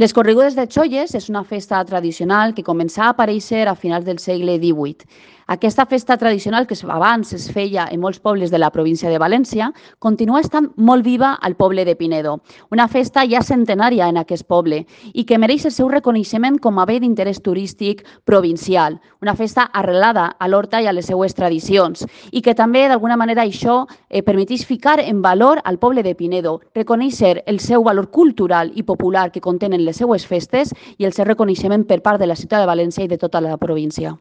Les corrigudes de Cholles és una festa tradicional que començà a aparèixer a finals del segle XVIII. Aquesta festa tradicional, que abans es feia en molts pobles de la província de València, continua estant molt viva al poble de Pinedo, una festa ja centenària en aquest poble i que mereix el seu reconeixement com a bé d'interès turístic provincial, una festa arrelada a l'horta i a les seues tradicions i que també, d'alguna manera, això permeteix ficar en valor al poble de Pinedo, reconèixer el seu valor cultural i popular que contenen les seues festes i el seu reconeixement per part de la ciutat de València i de tota la província.